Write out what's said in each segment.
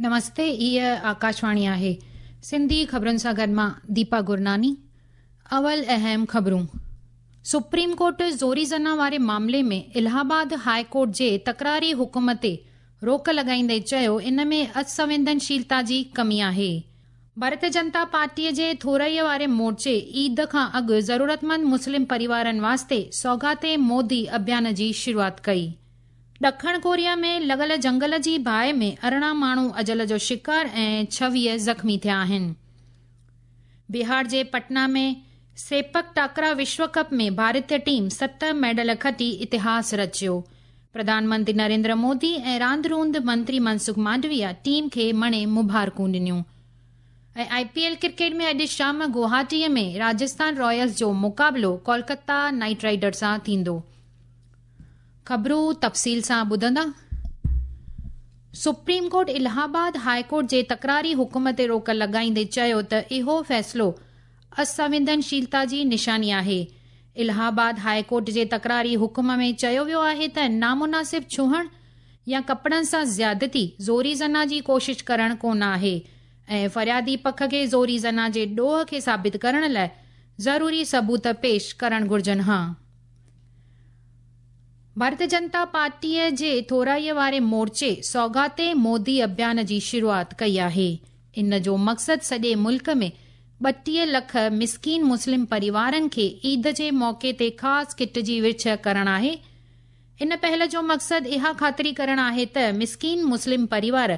نمستي هيء آڪاشواڻي آهي سنڌي خبرن سان گڏ مان ديپا گرناني اول اهم خبرون سپريم ڪورٽ زوري زنا واري معاملي ۾ الهه آباد هاء ڪورٽ جي تڪراري حڪم تي روڪ لڳائيندي چيو ان ۾ اسنويدنشيلتا جي ڪمي آهي. ڀارتيه جنتا پارٽيء جي ٿورائيء واري مورچي عيد کان اڳ ضرورتمند مسلم پريوارن واسطي سوغات مودي اڀيان جي شروعات ڪئي. ڏکڻ ڪوريا ۾ لڳل جنگل جي باهه ۾ 18 ماڻهو اجل جو شڪار ۽ 26 زخمي ٿيا آهن. بهار جي پٽنا ۾ سيپڪ ٽاڪرا وشو ڪپ ۾ ڀارتي ٽيم 7 ميڊل کٽي اتهاس رچيو. پرڌان منتري نريندر مودي ۽ راند روند منتري منسک مانڊويا ٽيم کي مڻي مبارڪون ڏنيون. ۽ آء پي ايل ڪرڪيٽ ۾ اڄ شام گوهاٽيء ۾ راجسٿان رائلز جو مقابلو ڪولڪتا نائيٽ رائيڊرز سان ٿيندو. خبرون تفصيل سان ٻڌندا. Supreme court Allahabad high court جي تڪراري حڪم تي روڪ لڳائيندي چيو ته اهو فيصلو اسنويدنشيلتا جي نشاني آهي. الهه آباد هاء ڪورٽ جي تڪراري حڪم ۾ چيو ويو آهي ته نامناسب ڇهڻ يا ڪپڙن سان زيادتي، زوري زنا جي ڪوشش ڪرڻ ڪونه آهي ۽ فريادي پک کي زوري زنا جي ڏوهه کي ثابت ڪرڻ لاء ضروري ثبوت پيش ڪرڻ گهرجن ها. ڀارتيه جنتا پارٽيء جي ٿورائيء واري مورچي سوغات مودي اڀيان جي شروعات ڪئي آهي. ان جو مقصد سڄي ملڪ ۾ 32 لک مسڪين مسلم پريوارن کي عيد جي موقعي تي خاص ڪٽ جي ورڇ ڪرڻ آهي. ان پهل جو مقصد اها خاطري ڪرڻ آهي ته مسڪين مسلم پريوار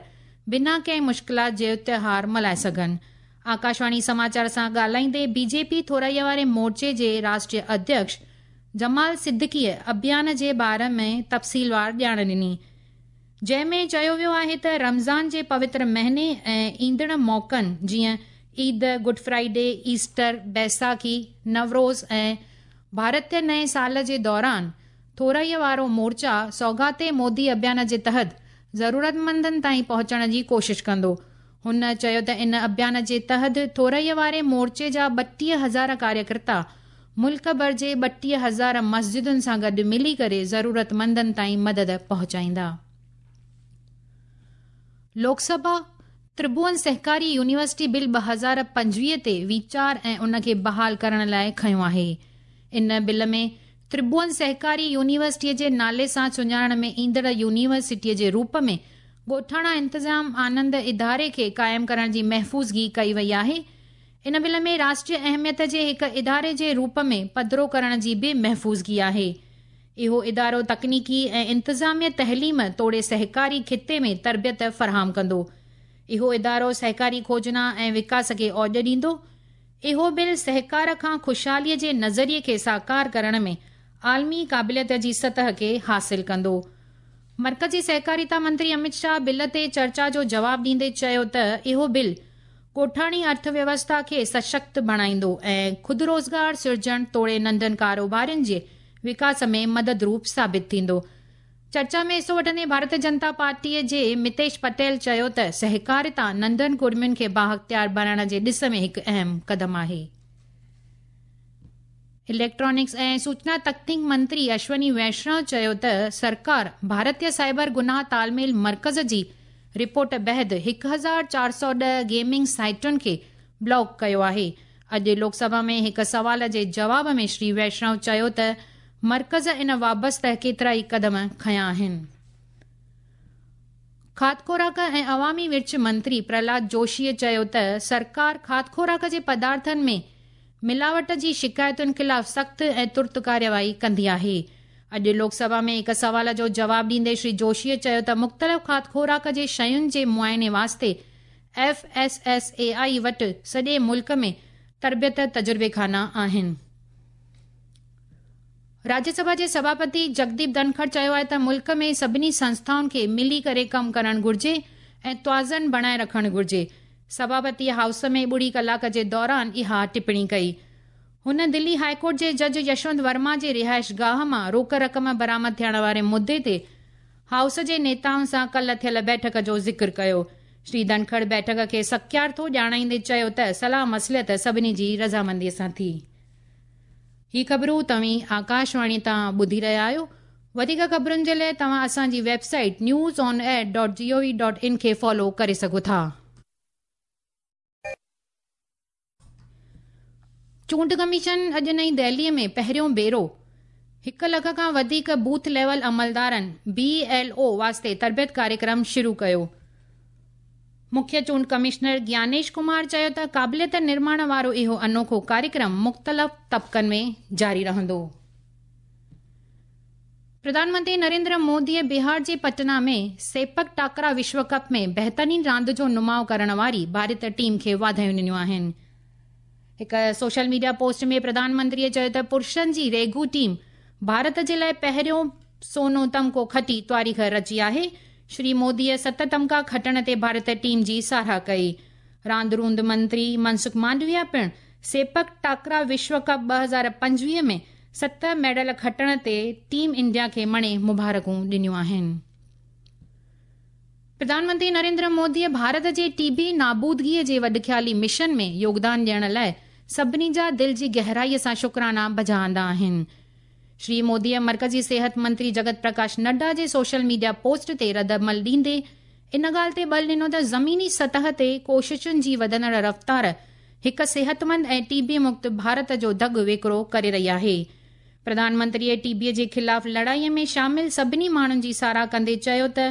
بنا ڪنهن مشڪلات جي تهوار ملهائي سگهن. آڪاشواڻي سماچار سان ڳالهائيندي بي جي پي ٿورائيء واري مورچي جي راشٽريه اڌيڪش جمال صديقيء اڀيان جي باري ۾ تفصيلوار ڄاڻ ڏني. جنهن ۾ چيو ويو آهي ته رمضان جي پوتر مهيني ۽ ايندڙ موقعن جيئن Eid, good Friday, Easter, Baisakhi, Nowruz ۽ ڀارتي نئين سال جي دوران ٿورائيء وارو مورچا سوغات مودي اڀيان جي تحت ضرورتمندن تائين پهچڻ جي ڪوشش ڪندو. هن چيو ته ان اڀيان جي تحت ٿورائيء واري مورچي جا 32 هزار ڪاريڪرتا ملڪ ڀر جي 32 هزار مسجدن سان گڏ ملي ڪري ضرورتمندن تائين مدد پهچائيندا. لوڪ سڀا ترڀون سهڪاري يونيورسٽي بل 2025 تي ويچار ۽ ان کي بحال ڪرڻ لاء کنيو آهي. ان بل ۾ ترڀون سهڪاري يونيورسٽيء جي نالي سان سڃاڻڻ ۾ ايندڙ يونيورسٽيء جي روپ ۾ ڳوٺاڻا انتظام آنند اداري کي قائم ڪرڻ جي محفوظگي ڪئي وئي آهي. ان بل ۾ راشٽريه اهميت جي هڪ اداري جي روپ ۾ پڌرو ڪرڻ جي به محفوظگي آهي. اهو ادارو تڪنيڪي ۽ انتظامي تعليم توڙي سهڪاري خطي ۾ تربيت فراهم ڪندو. اهو ادارو سهڪاري کوجنا ۽ وڪاس کي اوڄ ڏيندو. اهو بل سهڪار کان خوشحالي جي نظريي کي ساڪار ڪرڻ ۾ عالمي قابليت جي سطح کي حاصل ڪندو. مرڪزي سهڪاريتا منتري امت شاهه بل تي چرچا جو جواب ڏيندي چيو ته اهو بل ڳوٺاڻي ارٿ ويوسٿا کي سشڪت بڻائيندو ۽ خود روزگار سرجڻ توڙي ننڍن ڪاروبارين جي وڪاس ۾ مدد روپ ثابت ٿيندو. چرچا ۾ حصو وٺندي ڀارتيه جنتا پارٽيء جي متيش پٽيل چيو ته سهڪاريتا ننڍن ڪڙمين کي بااختيار بڻائڻ جي ڏس ۾ هڪ اهم قدم آهي. اليڪٽرانڪس ۽ سوچنا تڪنيڪ منتري اشوني ويشنو چيو ته سرڪار ڀارتيه سائبر گناهه تالميل مرڪز جي رپورٽ بعد 1410 گيمنگ سائيٽن کي بلاڪ ڪيو آهي. اڄ لوڪ سڀا ۾ هڪ سوال جي جواب ۾ شري ويشنو چيو ته مرڪز ان وابسته ڪيترائي قدم کنيا آهن. کاڌ خوراڪ ۽ عوامي ورڇ منتري پرهلاد جوشيء چيو ته سرڪار کاڌ خوراڪ جي پدارٿن ۾ ملاوٽ جي شڪايتن خلاف سخت ۽ ترت ڪارروائي ڪندي آهي. اڄ لوڪ سڀا ۾ هڪ سوال جو جواب ڏيندي شري جوشيء چيو ته مختلف کاڌ خوراڪ جي شين جي معائني واسطي F S S A I وٽ سڄي ملڪ ۾ تربيت تجربيخانا آهن. راجيه سڀا جي سڀاپتي جگديپ ڌنکڙ چيو آهي ته ملڪ ۾ سڀني سنسٿائن کي ملي ڪري ڪم ڪرڻ گهرجي ۽ توازن بڻائي رکڻ گهرجي. سڀاپتيء هائوس ۾ ٻڙي ڪلاڪ جي دوران اها ٽپڻي ڪئي. هن دلي هاء ڪورٽ جي جج يشونت ورما جي رهائش گاهه مان روڪ رقم برآمد ٿيڻ واري مدعي تي هائوس جي نيتائن سان ڪلهه ٿيل بيٺڪ جو ذڪر ڪيو. شري ڌنکڙ بيٺڪ کي سڪيارٿو ڄاڻائيندي چيو ته صلاح مصلحت سڀني جي رضامندي سان ٿي. هي خبرون توهين آڪاشواڻي تان ٻڌي رهيا آهيو. وڌيڪ خبرن جي لاء توهان اسان جي website news on air dot G O V dot in کي فالو ڪري سگهو ٿا. چونڊ ڪميشن اڄ نئين دهلي ۾ پهريون ڀيرو هڪ لک کان وڌيڪ بوٿ ليول عملدارن، بي ايل او، واسطي تربيت ڪاريڪرم شروع ڪيو. مکيه چونڊ ڪمشنر گيانيش ڪمار چيو ته قابليت نرماڻ وارو اهو انوکو ڪاريڪرم مختلف طبقن ۾ جاري رهندو. پرڌان منتري نريندر موديء بهار جي پٽنا ۾ سيپڪ ٽاڪرا وشو ڪپ ۾ بهترين راند جو نماء ڪرڻ واري ڀارتي ٽيم کي واڌايون ڏنيون آهن. هڪ سوشل ميڊيا پوسٽ ۾ پرڌان منتريء چيو ته پرشن جي ريگو ٽيم ڀارت جي لاء پهريون سونو تمغو کٽي تواريخ رچي آهي. شري موديء ست تمغا کٽڻ تي ڀارتي ٽيم جي ساراهه ڪئي. راند روند منتري منسک مانڊويا پڻ سيپڪ ٽاڪرا وشو ڪپ 2025 ۾ ست ميڊل کٽڻ تي ٽيم انڊيا کي مڻي مبارڪون ڏنيون آهن. پرڌان منتري نريندر موديء ڀارت جي ٽي بي نابودگيء جي وڏخيالي مشن ۾ يوگدان ڏيڻ لاء سڀني جا دل جي گهرائيء سان شڪرانا بجا آندا آهن. شري موديء مرڪزي صحت منتري جگت پرڪاش نڊا جي سوشل ميڊيا پوسٽ تي ردعمل ڏيندي ان ڳالهه تي ٻل ڏنو ته زميني سطح تي ڪوششن جي وڌندڙ رفتار هڪ صحتمند ۽ ٽي بي مڪت ڀارت جو دڳ ويڪرو ڪري رهي آهي. پرڌان منتريء ٽي بي جي خلاف لڙائيء ۾ شامل سڀني ماڻهن جي ساراهه ڪندي چيو ته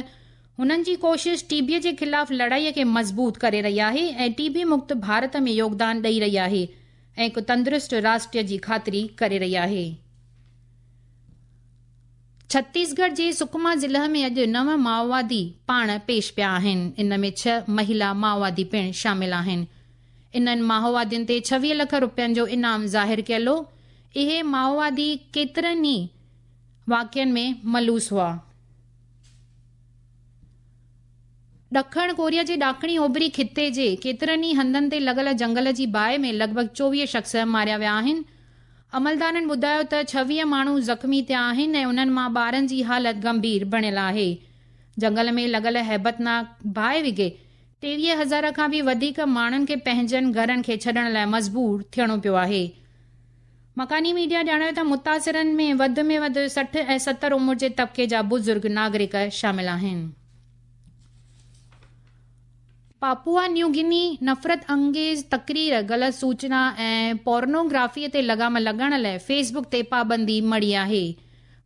هنن جي ڪوشش ٽي بي جي خلاف لڙائيء کي مضبوط ڪري رهي آهي ۽ ٽي بي مڪت ڀارت ۾ يوگدان ڏئي رهي آهي ۽ هڪ تندرست راشٽر جي خاطري ڪري رهي آهي. ڇتيسڳڙهه جي سڪما ضلع ۾ اڄ نو مائووادي پاڻ پيش پيا آهن، ان ۾ ڇهه مهيلا مائووادي پڻ شامل آهن. انهن مائووادين تي 26 لک روپين جو انعام ظاهر ڪيل هو. اهي مائووادي ڪيترن ئي واقعن ۾ ملوث هئا. ڏکڻ ڪوريا جي ڏاکڻي اوڀري خطي جي ڪيترن ئي هنڌن تي لڳل جنگل جي باهه ۾ لڳ ڀڳ 24 شخص ماريا ويا آهن. عملدارن ٻڌايو ته 26 ماڻهو زخمي ٿيا آهن ۽ انهن مان ٻارن جي حالت گنڀير بڻيل آهي. جنگل ۾ لڳل هيبتناڪ باهه وگهي 23 هزار کان به وڌيڪ ماڻهن کي پنهنجن گهرن کي ڇڏڻ لاء مجبور ٿيڻو پيو آهي. مڪاني ميڊيا ڄاڻايو ته متاثرن ۾ وڌ ۾ وڌ 60 ۽ 70 عمر جي طبقي جا بزرگ ناگرڪ شامل آهن. پاپوا نيو گني نفرت انگيز تقرير، غلط سوچنا ۽ پورنوگرافي تي لغام لڳائڻ لاء فيس بڪ تي پابندي مڙهي آهي.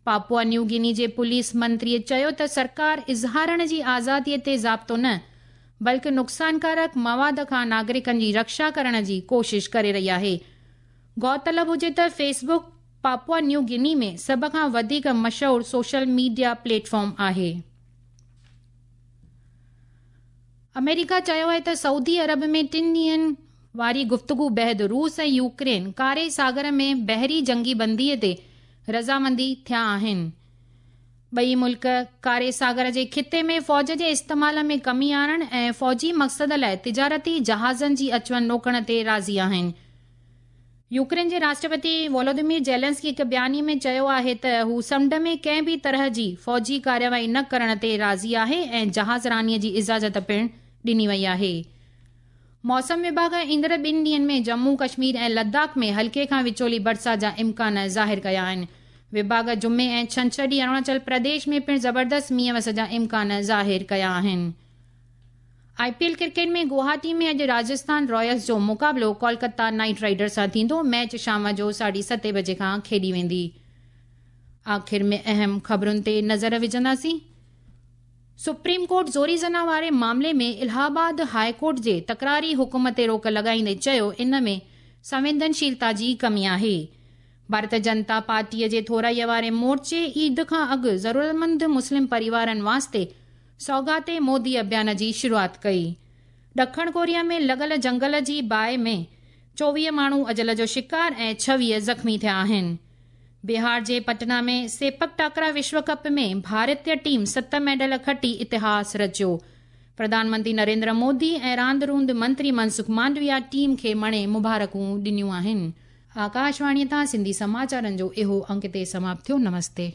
پاپوا نيو گني جي پوليس منتري چيو ته سرڪار اظهارڻ جي آزادي تي ضابطو نه بلڪ نقصانڪارڪ مواد کان ناگرڪن جي رڪشا ڪرڻ جي ڪوشش ڪري رهي آهي. غور طلب هجي ته fee book Papua New Guinea ۾ سڀ کان وڌيڪ مشهور سوشل ميڊيا پليٽ فارم آهي. آمريڪا چيو آهي ته سعودي عرب ۾ ٽن ڏينهن واري گفتگو بعد روس ۽ يوڪرين ڪاري ساگر ۾ بحري جنگي بندي تي رضامندي ٿيا آهن. ٻئي ملڪ ڪاري ساگر جي خطي ۾ فوج جي استعمال ۾ ڪمي آڻڻ ۽ فوجي مقصد لاء تجارتي جهازن جي اچ وڃ روڪڻ تي راضي آهن. يوڪرين جي راشٽرپتي وولوديمير زيلنسڪي هڪ بياني ۾ چيو آهي ته هو سمنڊ ۾ ڪنهن به طرح جي فوجي ڪارروائي نه ڪرڻ تي راضي آهي ۽ جهاز راني جي اجازت پڻ ڏني وئي آهي. موسم وڀاڳ ايندڙ ٻن ڏينهن ۾ ڄمون ڪشمير ۽ لداخ ۾ هلڪي کان وچولي برسات جا امڪان ظاهر ڪيا آهن. وڀاڳ جمعي ۽ ڇنڇر ڏينهن اروناچل پرديش ۾ پڻ زبردست مينهن وس جا امڪان ظاهر ڪيا آهن. آء پي ايل ڪرڪيٽ ۾ گوهاٽي ۾ اڄ راجسٿان رائلز جو مقابلو ڪولڪتا نائيٽ رائيڊرز سان ٿيندو، ميچ شام جو ساڍي ستين بجي کان کيڏي ويندي. آخر ۾ اهم خبرن تي نظر وجهنداسين. سپريم ڪورٽ زوري زنا واري معاملي ۾ الهه آباد هاء ڪورٽ جي تڪراري حڪم تي روڪ لڳائيندي چيو ان ۾ سنويدنشيلتا جي ڪمي آهي. ڀارت جنتا پارٽيء جي ٿورائي واري مورچي عيد کان اڳ ضرورتمند مسلم پريوارن واسطي سوغات مودي اڀيان جي شروعات ڪئي. ڏکڻ ڪوريا ۾ لڳل جنگل جي باهه ۾ 24 ماڻهو اجل جو شڪار ۽ 26 زخمي ٿيا آهن. بهار جي پٽنا ۾ سيپڪ ٽاڪرا وشو ڪپ ۾ ڀارتي ٽيم ست ميڊل کٽي اتهاس رچيو. پرڌان منتري نريندر مودي ۽ راند روند منتري منسک مانڊويا ٽيم کي مڻي مبارڪون ڏنيون آهن. آڪاشواڻي تان سنڌي سماچارن جو اهو انڪ هتي سماپت ٿيو. نمستي.